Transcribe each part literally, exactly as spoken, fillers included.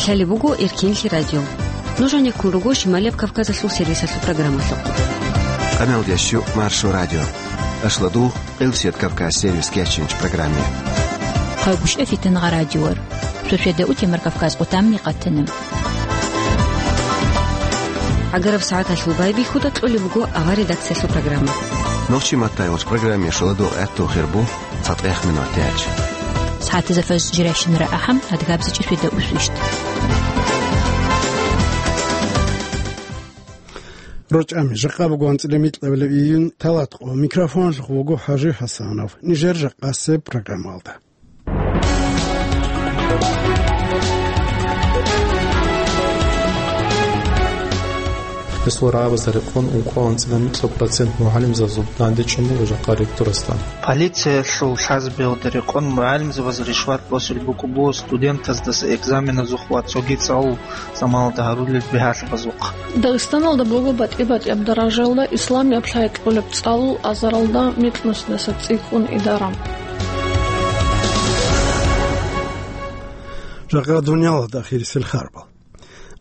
Лъалеб буго Эркенлъи радио. Нуж гьанеккун руго Шималияб Кавказалъул сервисалъул программалъухъ. Къамел ящу Маршо радио. Ашладу Къилсият Кавказ сервис кечинч программе. Хъагушев Фитнагъа радиор. Шошеда утемар Кавказ къутамни къатана. Агараб сагӀаталъул байбихьуда кьолеб буго авар редакциялъул программа. Нохчи маттайгъуч программе шоладу гӀатту хирбу. ЦатӀех минут яч. СагӀатазда фаж жирайщинара ахӀам, адгабзичӀи шведа усвищ. РочӀами жакъа буго анцӀила микьабилеб июнь талат къо. Микрофонлъухъ вуго ХӀажи ХӀасанов. Нижер жакъасеб программалда. Гьесул рагӀабазда рекъон ункъо анцӀила микьаб процент мугӀалимзабазул дандечӀун буго жакъа ректорасда. Полициялъул лъазабиялда рекъон мугӀалимзабаз ришват босулеб букӀун буго студентаздаса экзаменазухъ ва цоги цӀалул заманалда гьарулел бигьалъабазухъ. Дагъистаналда буго батӀи-батӀияб даражаялда исламияб лъай кьолеб цӀалул азаралда микьнусдаса цӀикӀкӀун идара. Жакъа дуниялалда ахирисел харбал.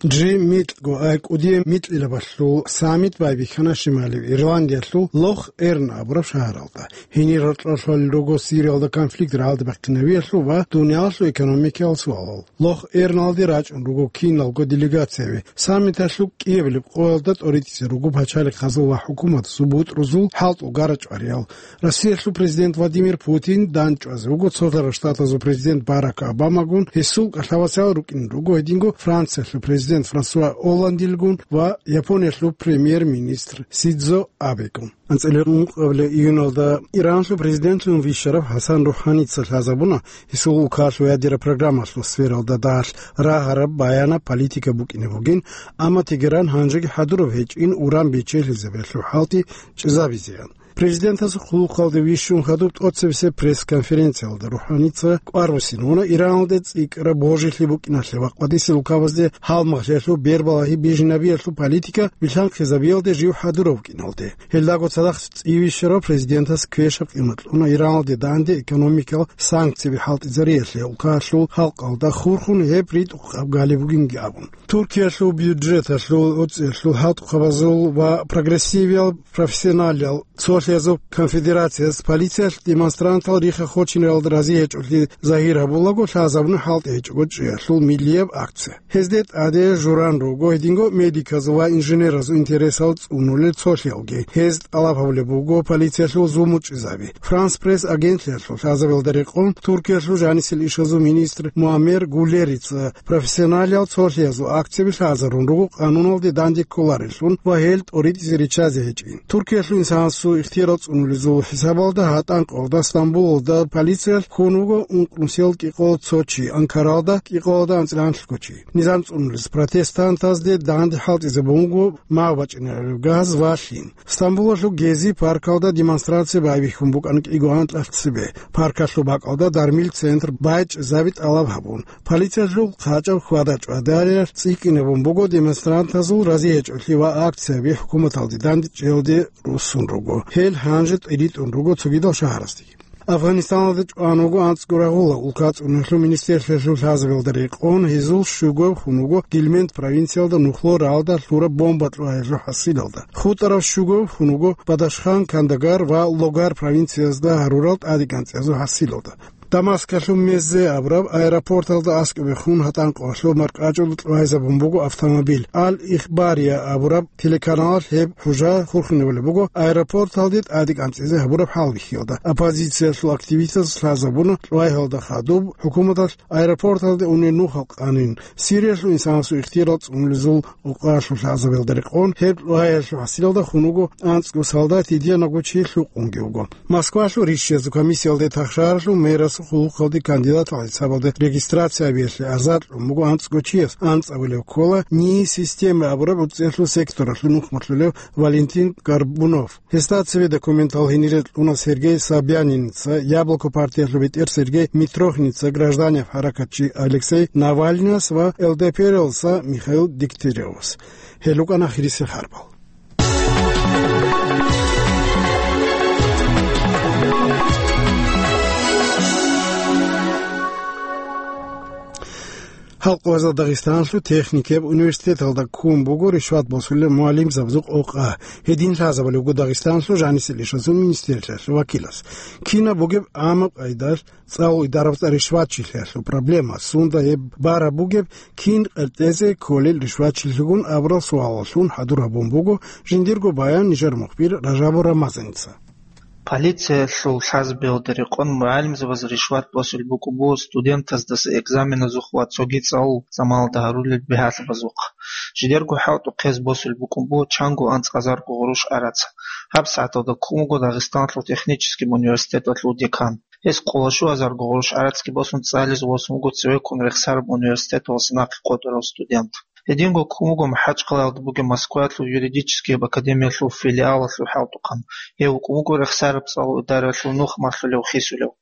Джи микьго ай кӀудияв микьилабалъул саммит байбихьана Шималияб Ирландиялъул Лох-Эрн абураб шагьаралда. Гьенир рокьулъ руго Сириялда конфликт рагӀалде бахъинавиялъул ва дуниялалъул экономикиял суалал. Лох-Эрналде рачӀун руго киналго делегацияби. Саммиталъул кӀиабилеб къоялда тӀоритӀизе руго пачалихъазул ва хӀукуматазул бутӀрузул хӀалтӀул гарачӀвариял. Россиялъул президент Владимир Путин данчӀвазе вуго Цолъарал Штатазул президент Барак Обамагун, гьесул кӀалъавасал рукӀин руго гьединго Франциялъул президент Франсуа Олландилгун ва Япониялъул премьер-министр Синдзо Абегун. АнцӀила ункъабилеб июналда Иранлъул президентлъун вищарав ХӀасан РухӀаница лъазабуна, гьесул улкалъул ядераб программалъул сфералда дагьалъ рагьараб баянаб политика букӀине бугин, амма Тегеран гьанжеги хӀадураб гьечӀин уран бечелъизабиялъул хӀалтӀи чӀезабизеян. Президентасул хъулухъалде вищун хадуб тӀоцебесеб пресс-конференциялда РухӀаница кӀвар буссинавуна Ираналде цӀикӀкӀараб божилъи букӀиналъе ва къватӀисел улкабазде гьалмагълъиялъул бербалагьи бижинабиялъул политика билъанхъизабиялде жив хӀадурав вукӀиналде. Гьелдаго цадахъ цӀивищарав президентас квешаб къимат кьуна Ираналде данде экономикал санкцияби хӀалтӀизариялъе улкалъул халкъалда хурхун гьеб ритӀухъаб галеб бугинги абун. Туркиялъул бюджеталъул, оцӀиялъул хӀалтӀухъабазул ва прогрессивиял профессионалиял цолъиязул конфедерацияс полициялъ демонстрантал рихха хочинаралда рази гьечӀолъи загьир гьабулаго лъазабуна хӀалтӀи гьечӀого чӀиялъул миллияб акция. Гьезде тӀаде журан руго гьединго медиказул ва инженеразул интересал цӀунулел цолъиялги. Гьез тӀалаб гьабулеб буго полициялъул зулму чӀезаби. Франс Пресс агентлъиялъул лъазабиялда рекъон Туркиялъул жанисел ишазул министр Муаммер Гулерица профессионалиял цолъиязул акцияби лъазарун руго къануналде данде кколарелъун ва гьел тӀоритӀизе риччазе гьечӀин. Туркиялъул инсанасул ихтияр цӀунулезул хӀисабалда гьатӀан къоялда Стамбулалда полициялъ ккун вуго ункънусиял кӀикъоялда цо чи, Анкаралда кӀикъоялда анцӀила гьанлъго чи. Низам цӀунулез протестантазде данде хӀалтӀизабун вуго мав бачӀинараб газ ва лъим. Стамбулалъул Гези паркалда демонстрация байбихьун букӀана кӀиго анкьалъ цебе, паркалъул бакӀалда дармил центр байчӀезаби тӀалаб гьабун. Полициялъул хъачӀаб хьвада-чӀвадариялъ цӀикӀкӀинабун буго демонстрантазул рази гьечӀолъи ва акцияби хӀукуматалде дандчӀиялде руссун руго. Гьел гьанже тӀиритӀун руго цогидал шагьарасдеги. Афганистаналда чӀван вуго анцӀго рагъула улка цӀунулъул министрлъиялъул лъазабиялда рекъон, гьезул щугояб хун вуго Гельманд провинциялда нухло рагӀалда лъураб бомба кьугьаялъул хӀасилалда. ХутӀарав щугояб хун вуго Бадашхан, Кандагар ва Логар провинциязда гьарурал тӀадегӀанцӀиязул хӀасилалда. Дамаскалъул Меззе абураб аэропорталда аскӀобехун гьатӀан къоялъул маркӀачӀул кьугьайзабун буго автомобиль. Ал-Ихбария абураб телеканалалъ гьеб хӀужа хурхинабулеб буго аэропорталде тӀадегӀанцӀизе гьабураб хӀалбихьиялда. Оппозициялъул активистаз лъазабуна кьугьайзабиялда хадуб хӀукуматалъ аэропорталде унел нухал къанин. Сириялъул инсанасул ихтияр цӀунулезул Къокъаялъул лъазабиялда рекъон, гьеб лъугьаялъул хӀасилалда хун вуго анцӀго солдат, гьединго чи лъукъунги вуго. Москвалъул ришшиязул комиссиялде тахшаралъул мэрасул хъулухъалде кандидатал хӀисабалде регистрация гьабиялъе азар кьун буго анцӀго чияс, анцӀабилев ккола НИИ система абураб оцӀиялъул секторалъул нухмалъулев Валентин Горбунов. Гьесда цеве документал гьенире кьуна Сергей Собяниница, Яблоко партиялъул бетӀер Сергей Митрохиница, гражданияв хӀаракатчи Алексей Навальныяс ва ЛДПР-алъуса Михаил Дегтяревас. Гьел рукӀана ахирисел харбал. Халкъ вазал Дагъистаналъул техникияб университеталда ккун буго ришват босулел мугӀалимзабазул къокъа. Гьедин лъазабулеб буго Дагъистаналъул жанисел ишазул министрлъиялъул вакилас. Кинаб бугеб гӀамаб къайдалъ цӀалул идарабазда ришватчилъиялъул проблема, сунда гьеб бараб бугеб, кин къеркьезе кколел ришватчилъигун абурал суалаллъун хӀадур гьабун буго жиндирго баян нижер мухбир Ражабов Рамазаница. Полициялъул лъазабиялда рекъон мугӀалимзабаз ришват босулеб букӀун буго студентаздаса экзаменазухъ ва цоги цӀалул заманалда гьарулел бигьалъабазухъ. Жидерго хӀалтӀухъ гьез босулеб букӀун буго чанго анцӀазарго гъурущ гӀарац. ГьабсагӀаталда ккун вуго Дагъистаналъул технический университеталъул декан. Гьес къоло щуазарго гъурущ гӀарацги босун цӀализе восун вуго цеве ккун рехсараб университеталъуса нахъе къотӀарав студент. Гьединго ккун вуго МахӀачхъалаялда бугеб Москваялъул юридическияб академиялъул филиалалъул хӀалтӀухъан. Гьев вукӀун вуго рехсараб цӀалул идараялъул нух малъулев хисулев.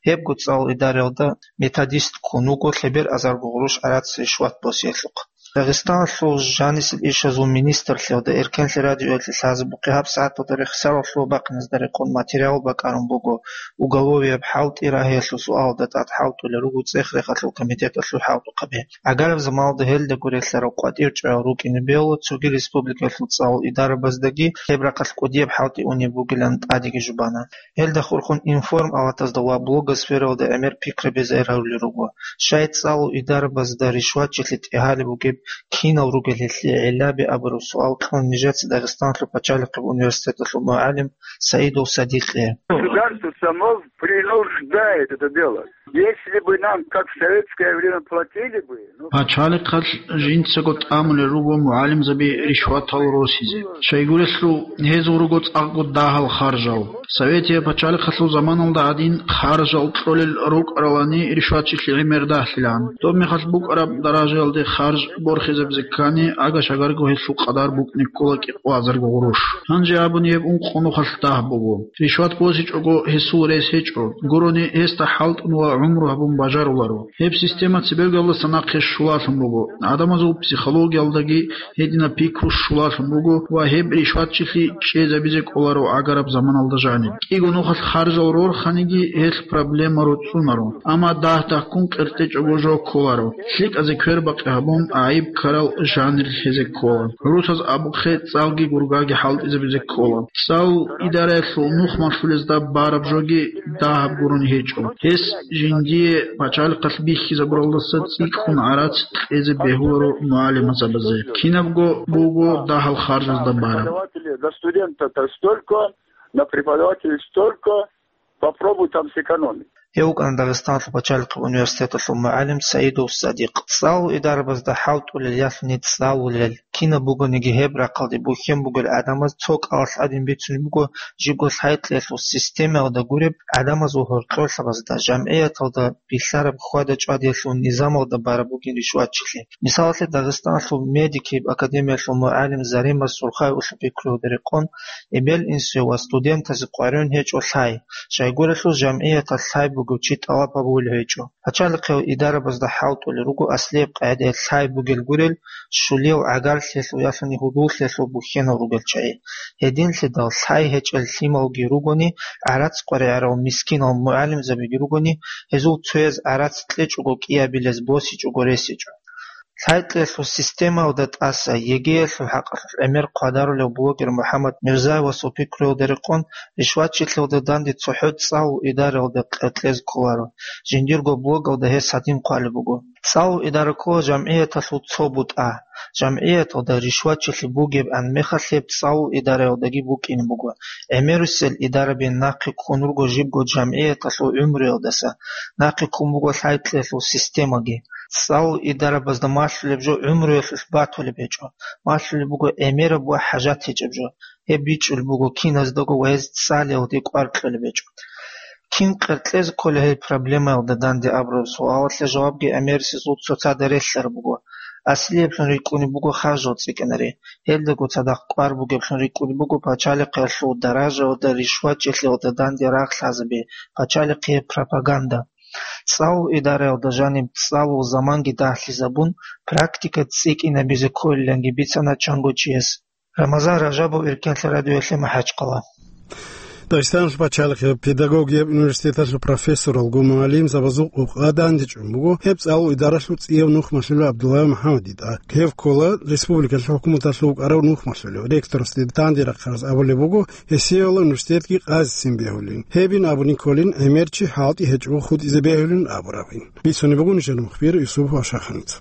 Гьебго цӀалул идараялда методист ккун вуго лъебераб азарго гъурущ гӀарац ришват босиялъухъ. Дагъистаналъул жанисел ишазул министрлъиялда эркенлъи радиоялъе лъазабухъе гьабсагӀаталда рехсарал лъугьа-бахъиназда рекъон материал бакӀарун буго уголовияб хӀалтӀи рагьиялъул суалалда тӀад хӀалтӀулел руго цӀех-рехалъул комитеталъул хӀалтӀухъаби. ГӀагараб заманалда гьелдаго релълъарал къватӀир чӀваял рукӀине бегьула цоги республикаялъул цӀалул идарабаздаги гьеб рахъалъ кӀудияб хӀалтӀи унеб бугилан тӀадеги жубана. Гьелда хурхун информ-палатазда ва блогосфералда гӀемер пикраби загьир гьарулел руго. Щай цӀалул идарабазда ришватчилъи тӀегьалеб бугеб, кинал ругел гьелъие гӀиллаби абураб суал кьун нижеца Дагъистаналъул пачалихъеб университеталъул мугӀалим Саидов Садикъе. Государство само принуждает это делать. Если бы нам, как в советское время, платили бы, ну... Пачалихъалъ жинцаго тӀамулел руго мугӀалимзаби ришватал росизе. Щайгурелъул гьезул руго цӀакъго дагьал харжал. Советияб пачалихъалъул заманалда гӀадин харжал кьолел рукӀаралани ришватчилъи гӀемер дагьлъилан. Доб мехалъ букӀараб даражаялде харж борхизабизе ккани, ага-шагарго гьелъул къадар букӀине ккола кӀикъоазарго гъурущ. Гьанже абуни гьеб ункъо нухалъ дагь буго. Ришват босичӀого гьесул рес гьечӀо, гурони гьесда хӀалтӀун ва гӀумру гьабун бажаруларо. Гьеб система цебегоялдаса нахъе щулалъун буго. ГӀадамазул психологиялдаги гьединаб пикру щулалъун буго ва гьеб ришватчилъи чӀезабизе кӀоларо гӀагараб заманалда жаниб. КӀиго нухалъ харжал рорханиги гьелъ проблема руцӀцӀунаро, амма дагь-дагьккун къеркьечӀого жо кколаро. ЛъикӀазе квербакъи гьабун, гӀайиб ккарал жанир лъезе ккола. ГӀурусаз абухъе, цӀалги гургаги хӀалтӀизабизе ккола. ЦӀалул идараялъул нух малъулезда бараб жоги дагьаб гурони гьечӀо. Гьес жиндие пачалихъалъ бихьизабуралдаса цӀикӀкӀун гӀарац кьезе бегьуларо мугӀалимзабазе. Кинабго буго дагьал харжазда бараб. Преподаватели, до студента-то столько, на преподавателей столько, попробуй там сэкономить. Гьев вукӀана Дагъистаналъул пачалихъ университеталъул мугӀалим Саидов Садикъ. ЦӀалул идарабазда хӀалтӀулел ялъуни цӀалулел, кинаб бугониги гьеб рахъалде бухьен бугел гӀадамаз цо кӀалалъ гӀадин бицунеб буго жибго лъай-кьеялъул системаялда гуреб гӀадамазул гьоркьорлъабазда, жамгӀияталда билълъараб хьвада-чӀвадиялъул низамалда бараб бугин ришватчилъи. Мисалалъе, Дагъистаналъул медикияб академиялъул мугӀалим Зарима Сурхаевалъул пикруялда рекъон, эбел-инсуе ва студентазе къваригӀун гьечӀо лъай, щайгурелъул жамгӀияталъ лъай бугев чи тӀалаб гьабулев гьечӀо. Пачалихъиял идарабазда хӀалтӀулел руго аслияб къагӀидаялъ лъай бугел гурел, щулиял гӀагарлъиялъул ялъуни гьудуллъиялъул бухьенал ругел чагӀи. Гьединлъидал лъай гьечӀел лъималги ругони, гӀарац къваригӀарал мискинал мугӀалимзабиги ругони, гьезул цояз гӀарац кьечӀого кӀиабилез босичӀого ресичӀо. Лъай-кьеялъул системаялда тӀаса ЕГЭялъул хӀакъалъулъ гӀемер хъвадарулев блогер МухӀаммад Мирзаевасул пикруялда рекъон, ришватчилъиялда данде цохӀо цӀалул идараялда къеркьезе кколаро. Жиндирго блогалда гьес гьадин хъвалеб буго: «ЦӀалул идара ккола жамгӀияталъул цо бутӀа. ЖамгӀияталда ришватчилъи бугебгӀан мехалъ гьеб цӀалул идараялдаги букӀине буго. ГӀемерисел идараби нахъе ккун руго жибго жамгӀияталъул гӀумруялдаса, нахъе ккун буго лъай-кьеялъул системаги. ЦӀалул идарабазда малъулеб жо гӀумруялъулъ батулеб гьечӀо, малъулеб буго гӀемераб ва хӀажат гьечӀеб жо. Гьеб бичӀчӀулеб буго киназдаго ва гьез цӀалиялде кӀвар кьолеб гьечӀо». Кин къеркьезе ккола гьел проблемаялда данде абураб суалалъе жавабги гӀемерисезул цоцазда релълъараб буго. Аслияблъун рикӀкӀунеб буго харжал цӀикӀкӀинаре. Гьелдаго цадахъ кӀвар бугеблъун рикӀкӀунеб буго пачалихъиялъул даражаялда ришватчилъиялда данде рагъ лъазаби, пачалихъияб пропаганда. ЦӀалул идараялда жаниб цӀалул заманги дагьлъизабун, практика цӀикӀкӀинабизе кколиланги бицана чанго чияс. Рамазан Ражабов, Эркенлъи радиоялъе, МахӀачхъала. Дагъистаналъул пачалихъ педагогияб университеталъул профессоралгун мугӀалимзабазул къокъа дандечӀун буго гьеб цӀалул идаралъул цӀияв нухмалъулев ГӀабдуллаев МухӀаммадида. Гьев ккола республикалъул хӀукуматалъул вукӀарав нухмалъулев, ректорасде данде рахъараз абулеб буго, гьесиеяла университетги къазицин бегьулин. Гьебин абуни кколин, гӀемерчи хӀалтӀи гьечӀого хутӀизе бегьулин абурабин. Бицунеб буго нижер мухбир Юсуп Вашаханица.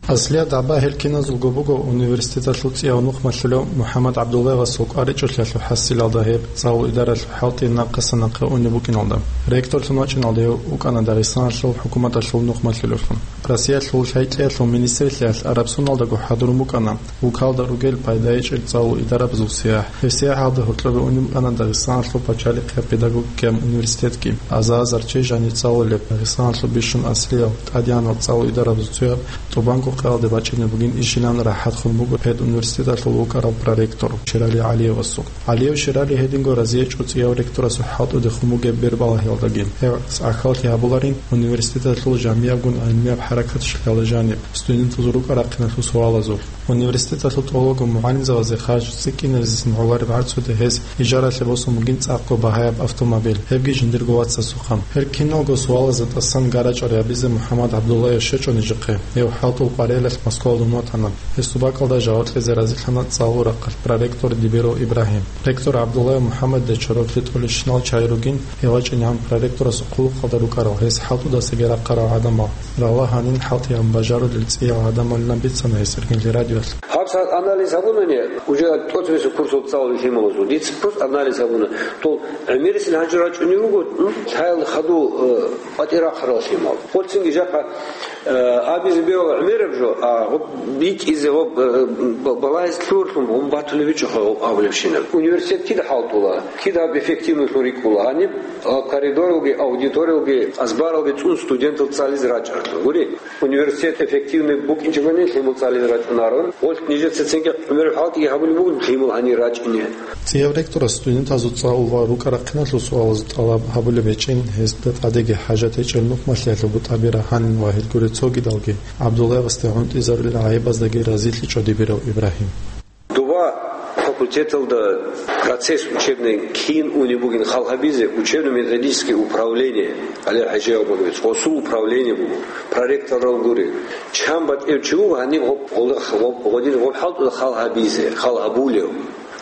Аслияб дагӀба гьел киназулго буго университеталъул цӀияв нухмалъулев МухӀаммад ГӀабдуллаевасул кӀваричӀолъиялъул хӀасилалда гьеб цӀалул идаралъул хӀалтӀи нахъасан нахъе унеб букӀиналда. Ректорлъун вачӀиналда гьев вукӀана Дагъистаналъул хӀукуматалъул нухмалъулевлъун. Россиялъул лъай-кьеялъул министралъиялъ Араб суналдаго хӀадурун букӀана вукалда ругел пайда гьечӀел цӀалул идарабазул сияхӀ. Гьеб сияхӀалда гьоркьобе унеб букӀана Дагъистаналъул пачалихъ педагогикаяб университетги, аза-азарчи жаниб цӀалулеб Дагъистаналъул бищун аслиял тӀадегӀанал цӀалул идарабазул цояб ТӀубанго къаялде бачӀине бугин ишилан рахӀатхун буго педуниверситеталъул вукӀарав проректор Шерали ГӀалиевасул. ГӀалиев Шерали гьединго разиячӀо цӀияв ректорасул хӀалтӀудехун бугеб бербалагьиялдаги. Гьев цӀакъалъи гьабуларин университеталъул жамиябгун гӀилмияб хӀаракаталъ жаниб, студентазул рукӀа-рахъиналъул суалазулъ. Университеталъул тӀолабго мугӀалимзабазе харж цӀикӀкӀинабизесин гӀолареб гӀарцуде гьес ижаралъе босун бугин цӀакъго багьаяб автомобиль, гьебги жиндирго вацасухъан. Гьел киналго суалазда тӀасан гарачӀа рабизе МухӀаммад ГӀабдуллаев щвечӀо нижехъе. Гьев хӀалтӀул къварилъ Москвалдун ватана. Гьесул бакӀалда жаваб кьезе разилъана цӀалул рахъалъ проректор Дибиров Ибрагьим. Ректор ГӀабдуллаев МухӀаммадида чороклъи тӀолищинал чагӀи ругин, гьев вачӀинегӀан проректорасул хъулухъалда рукӀарал, гьес хӀалтӀудасаги рахъарал гӀадамал. Рала гьанин хӀалтӀи гьабун бажарулел цӀиял гӀадамалилан бицана гьес иргьенлъи радиоялъ. Гьаб сагӀат анализ гьабунани, уже тӀоцебесеб курсалда цӀалулел лъималазул, дица просто анализ гьабуна. Дол гӀемерисел гьанже рачӀунев вуго, м, лъаялда хадув, э, къватӀир рахъарал лъимал. Гъолцинги жакъа, э, абизе бегьула гӀемераб жо, а гъоб битӀизе, гъоб, э, б-, балагьизе лъугьарлъун гъоб батулеб гьечӀоха гъоб абулебщинаб. Университет кида хӀалтӀула, кида гьаб эффективнойлъун рикӀкӀула. Гьаниб, а, коридоралги, аудиториялги, азбаралги цӀун студентал цӀализе рачӀаралъур. Гури, университет эффективный букӀинчӀебани лъимал цӀализе рачӀунарун. Гъолъ нижеца цинги гӀемераб хӀалтӀиги гьабулеб бугин лъимал гьанир рачӀине. ЦӀияв ректорас студентазул цӀалул ва рукӀа-рахъиналъул суалазул тӀалаб гьабулеб гьечӀин, гьезда тӀадеги хӀажат гьечӀел нухмалъиялъул бутӀаби рагьанин ва гьел гурел цогидалги, ГӀабдуллаевасде гӀунтӀизарулел гӀайибаздаги разилъичӀо Дибиров Ибрагьим. Доба факультеталда процесс учебный кин унеб бугин хал гьабизе, учебно-методическое управление, гьале ХӀажи Абубакирович, гъосул управление буго, проректорал гури. Чан батӀев чи вуго, гьаниб гъоб-, гъолда-, гъоб-, гъодин гъоб хӀалтӀуда хал гьабизе, хал гьабулев.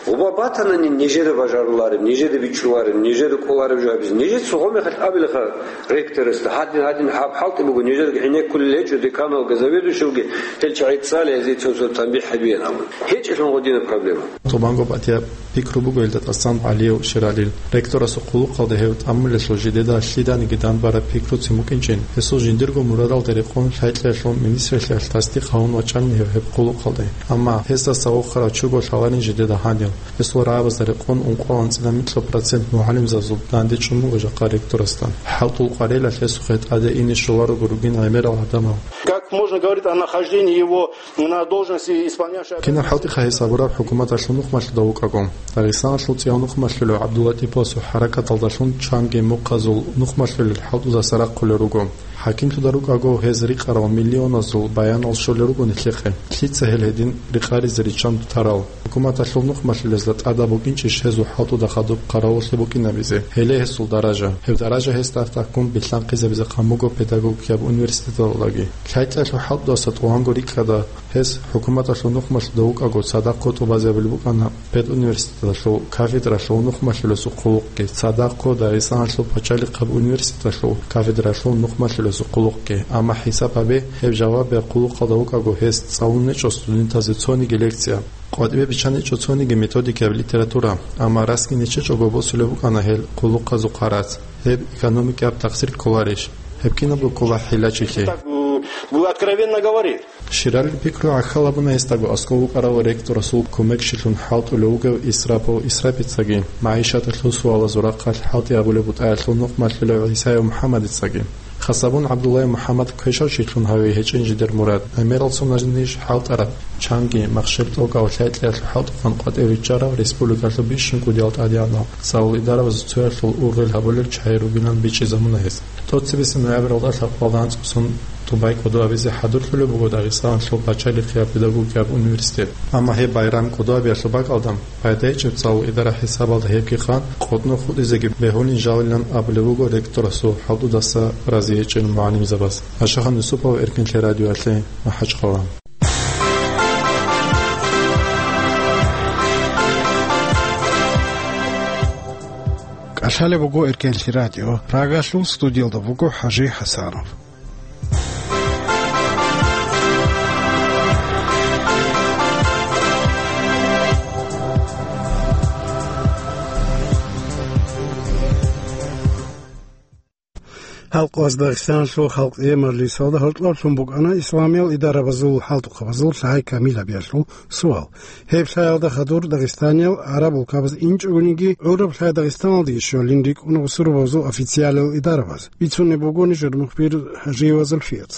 Гъоба батанани нижеда бажарулареб, нижеда бичӀчӀулареб, нижеда кӀолареб жо гьабизе. Нижеца гъомехалъ абилаха ректорасда, гьадин, гьадин, гьаб хӀалтӀи буго, нижедаги гӀенеккулел гьечӀо, деканалги, заведующийги, гьел чагӀи цӀали, гьезие цо-цо танбихӀ гьабеян абун. ГьечӀелъун гъодинаб проблема. Тубанго батияб пикру буго гьелда тӀасан ГӀалиев Шералил. Ректорасул хъулухъалда гьев тӀамулелъул жидеда лъиданиги данбараб пикруцин букӀинчӀин, гьесул жиндирго мурадалда рекъон лъай-кьеялъул министралъиялъ тасдикъ гьавун вачӀанин гьев гьеб хъулухъалде. Амма гьесдаса вохарав чуго лъаларин жидеда гьанив. Гьесул рагӀабазда рекъон ункъоялда анцӀила микьго процент мугӀалимзабазул данде чӀун буго жакъа ректорасда. ХӀалтӀул къварилъ гьесухъе тӀаде ине щоларого ругин гӀемерал гӀадамал. Как можно говорить о нахождении его на должности исполняющего... Кинаб хӀалтӀиха гьес гьабураб хӀукуматалъул нухмалъуда вукӀаго? Дагъистаналъул цӀияв нухмалъулев ГӀабдуллатӀиповасул хӀаракаталдалъун чанги мухъазул нухмалъулел хӀалтӀудаса рахъулел руго. ХӀакимлъуда рукӀаго гьез рикъарал миллионазул баянал щолел руго нилъехъе. Лъица гьел гьедин рикъаризе риччан тарал? ХӀукуматалъул нухмалъулезда тӀадаб букӀинчӀищ гьезул хӀалтӀуда хадуб хъаравуллъи букӀинабизе? Гьеле гьесул даража. Гьеб даража гьесда тӀахьдахъун билълъанхъизабизе хъан буго педагогикаб университеталдаги. ЛъайтӀалъул хӀалтӀудаса тӀугьанго рикӀкӀада гьес хӀукуматалъул нухмалъуда вукӀаго цадахъго тӀубазабулеб букӀана педуниверситеталъул кафедралъул нухмалъулесул хъулухъги, цадахъго Дагъистаналъул пачалихъаб университеталъул кафедралъул нухмалъулесул хъулухъги. Амма хӀисаб гьабе, гьеб жавабияб хъулухъалда вукӀаго гьес цӀалун гьечӀо студентазе цониги лекция. КъватӀибе биччан гьечӀо цониги методикаяб литература, амма расги нечечӀого босулеб букӀана гьел хъулухъазул хъарац. Гьеб экономикаяб такъсир кколарищ? Гьеб кинабго ккола хӀилачилъи. Так, э, откровенно говорит. Шералил пикру гӀахьал гьабуна гьесдаго аскӀов вукӀарав ректорасул кумекчилъун хӀалтӀулев вугев Исрапов Исрапицаги. МагӀишаталъул суалазул рахъалъ хӀалтӀи гьабулеб бутӀаялъул нухмалъулев ГӀисаев МухӀаммадицаги. Хасабун ГӀабдуллаев МухӀаммад квешав чилъун гьаве гьечӀин жидер мурад. ГӀемерал соналъ ниж хӀалтӀараб. Чанги махщел тӀокӀав лъай-кьеялъул хӀалтӀухъан къватӀив виччарав республикалъул бищун кӀудиял тӀадегӀанал цӀалул идарабазул цоялъул ургъел гьабулел чагӀи ругилан бичӀчӀизабуна гьез. ТӀоцебесеб ноябралда лъабкъоялда анцӀбасун тӀубай кӀодо абизе хӀадурлъулеб буго Дагъистаналъул пачалихъияб педагогикаб университет. Амма гьеб байрам кӀодо абиялъул бакӀалда пайда гьечӀеб цӀалул идара хӀисабалда гьебги хъан къотӀнохъ хутӀизеги бегьулин жалилан абулеб буго ректорасул хӀалтӀудаса рази гьечӀел мугӀалимзабаз. Ашахан Юсупов, Эркенлъи радиоялъе, МахӀачхъала. КӀалъалеб буго Эркенлъи радио. Прагалъул студиялда буго ХӀажи ХӀасанов. Гьалкъоялъ Дагъистаналъул халкъие мажлисалда гьоркьоблъун букӀана исламиял идарабазул хӀалтӀухъабазул лъай камил гьабиялъул суал. Гьеб лъаялда хадур Дагъистаниял гӀараб улкабаз инчӀогониги, гӀураб лъай Дагъистаналдаги щолин рикӀкӀуна бусурбабазул официалиял идарабаз. Бицунеб буго нижер мухбир ХӀажиева Зульфият.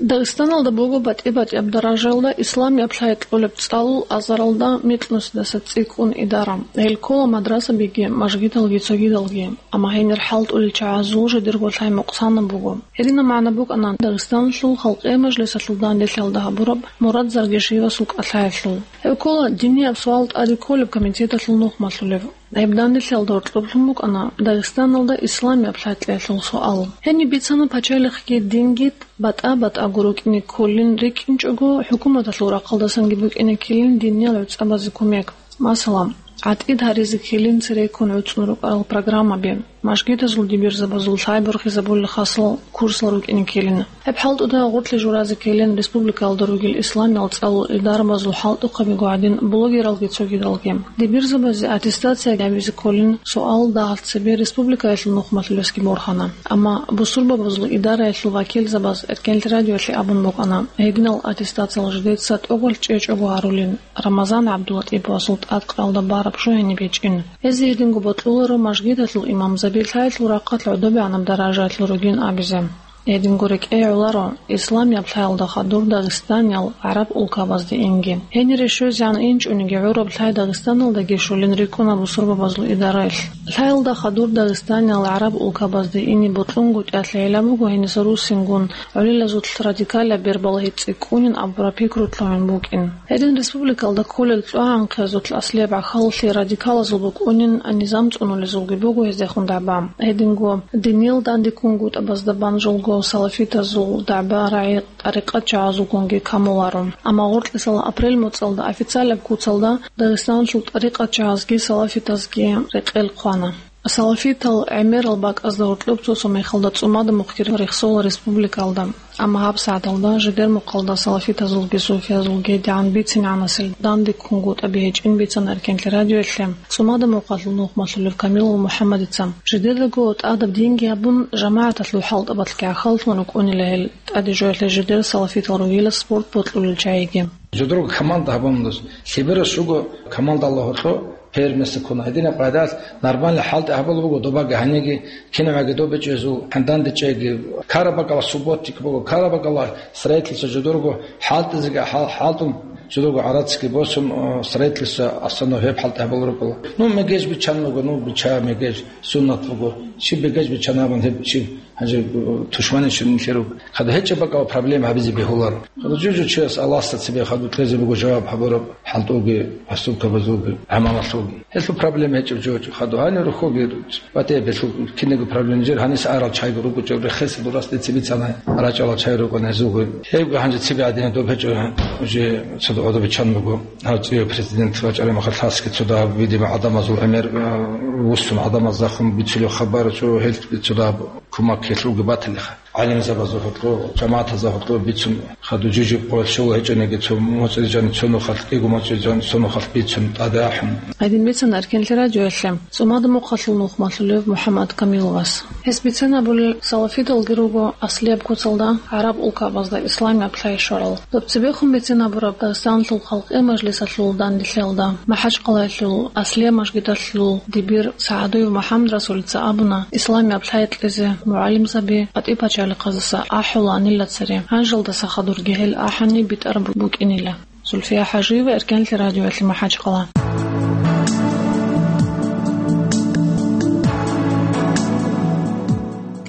Дагъистаналда буго батӀи-батӀияб даражаялда исламияб лъай кьолеб цӀалул азаралда микьнусидаса цӀикӀкӀун идара. Гьел ккола мадрасабиги, мажгиталги цогидалги. Амма гьенир хӀалтӀулел чагӀазул жидерго лъай мукъсанаб буго. Гьединаб магӀна букӀана Дагъистаналъул халкъие мажлисалъул данделъиялда гьабураб Мурад Заргишиевасул кӀалъаялъул. Гьеб ккола динияб суал тӀаде кколеб комитеталъул нухмалъулеб. Гьеб данделъиялда гьоркьоблъун букӀана Дагъистаналда исламияб лъай кьеялъул суал. Гьениб бицана пачалихъги динги батӀа-батӀаго рукӀине кколин рикӀкӀинчӀого, хӀукуматалъул рахъалдасанги букӀине ккелин диниял гӀуцӀабазе кумек. Масала, гӀатӀид гьаризе ккелин цереккун гӀуцӀун рукӀарал программаби, мажгитазул дибирзабазул лъай борхизабулел хасал курсал рукӀине ккелин. Гьеб хӀалтӀуда гъорлъе журазе ккелин республикаялда ругел исламиял цӀалул идарабазул хӀалтӀухъабиго гӀадин блогералги цогидалги. Дибирзабазе аттестация гьабизе кколин суал дагьалъ цебе республикаялъул нухмалъулесги борхана. Амма бусурбабазул идараялъул вакилзабаз Эркенлъи радиоялъе абун букӀана, гьединал аттестациял жидеца тӀокӀалъ чӀечӀого гьарулин. Рамазан ГӀабдуллатӀиповасул тӀадкъаялда бараб жо гьениб гьечӀин. Гьезие гьединго бокьуларо мажгиталъул имамзаби лъаялъул рахъалъ гӀодобегӀанаб даражаялъул ругин абизе. Гьединго рекӀее гӀоларо исламияб лъаялда хадур Дагъистаниял гӀараб улкабазде инги. Гьенире щвезегӀан инчӀониги гӀураб лъай Дагъистаналдаги щолин рикӀкӀуна бусурбабазул идараялъ. Лъаялда хадур Дагъистаниял гӀараб улкабазде ине бокьунгутӀиялъе гӀилла буго гьениса руссингун гӀолилазулъ радикалаб бер балагьи цӀикӀкӀунин абураб пикру лъугӀун букӀин. Гьедин республикалда кколел цӀогӀанхъиязулъ аслияб гӀахьаллъи радикалазул букӀунин низам цӀунулезулги буго гьездехун дагӀба. Гьединго диниял дандеккунгутӀабазда бан жолго салафитазул дагӀба рагӀи тӀарикъатчагӀазулгунги камуларо. Амма гъоркьисала апрель моцӀалда официалаб куцалда Дагъистаналъул тӀарикъатчагӀазги салафитазги рекъел хъвана. Салафитал гӀемерал бакӀазда гьоркьоб цо-цо мехалда цӀумада мухъги рехсола республикалда. Амма гьабсагӀаталда жидер мухъалда салафитазулги суфиязулги дигӀан бицинегӀанасел дандеккунгутӀаби гьечӀин бицана Эркенлъи радиоялъе цӀумада мухъалъул нухмалъулев Камилов МухӀаммадица. Жидедаго тӀадаб динги гьабун, жамагӀаталъул хӀалтӀабалъги гӀахьаллъун рукӀунила гьел, тӀаде жоялъе жидер салафитал ругила спорт бокьулел чагӀиги. Жидерго команда гьабун дус. Лъеберас руго командалда гьоркьо первенство ккуна. Гьединаб къайдалъ нормальный хӀалтӀи гьабулеб буго добаги гьаниги, кинабаги добичӀезул, гьандан дичӀеги, карабакӀала субботник буго, карабакӀала строительство жидерго хӀалтӀизеги хӀал-, хӀалтӀун жидерго гӀарацги босун, э, строительство основной гьеб хӀалтӀи гьабулеб буго. Ну, мегеж биччан буго, ну, бича мегеж, суннат буго. Чи мегеж биччан абун гьеб чи Гьанже, э, тушманичун нилъер руго. Хадуб гьечӀеб бакӀал проблема гьабизе бегьуларо. Хадуб жужу чияс Аллагьасда цебе хадуб кьезе буго жаваб гьабураб хӀалтӀулги, поступкабазулги, гӀамалалъулги. Гьелъул проблема гьечӀеб жо гьечӀо. Хадуб гьанив рухьулги батӀияб гьелъул кинего проблема жер, гьаниса арал чайго ругучӀев рехесел дурас децибицана рачӀалал чай рукӀана гьезулги. Гьебго гьанже цебе гӀадина доб гьечӀо, уже цо гӀодобиччан буго. Гьав цӀуяв президент вачӀараб мехалъ гьасги цо дагьаб, видимо, гӀадамазул гӀемер, а, вуссун гӀадамаз захун бицулев хабар, цо гьел цо дагьаб кумак гьелъулги батилиха. ГӀалимзабазда гьоркьо, жамагӀатазда гьоркьо бицун, хадуб жужи къоялъ щола гьечӀониги, цо моцӀрижан цо нухалъ, кӀиго моцӀрижан цо нухалъ бицун тӀаде ахӀун. Гьедин бицана Эркенлъи радиоялъе цӀумада мухъалъул нухмалъулев МухӀаммад Камиловас. Гьес бицен абулел, салафидалги руго аслияб куцалда гӀараб улкабазда исламияб лъай щварал. Доб цебехун бицен абураб Дагъистаналъул халкъи мажлисалъул данделъиялда, МахӀачкъалаялъул аслияб мажгиталъул дибир СагӀадуев МухӀаммадрасулица абуна, исламияб лъай кьезе мугӀалимзаби КъватӀи пачалихъаздаса ахӀуланила цере, гьанжелдаса хадурги гьел ахӀани битӀараб букӀинила. Зульфия ХӀажиева, Эркенлъи радиоялъе МахӀачкъала.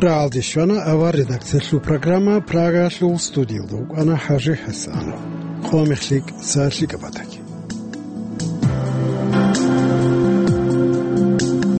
Рагьалде щвана авар редакциялъул программа, Прагаялъул студиялда вукӀана ХӀажи ХӀасанов. Къо мехлъи кӀиго сагӀат лъикӀаб батаги.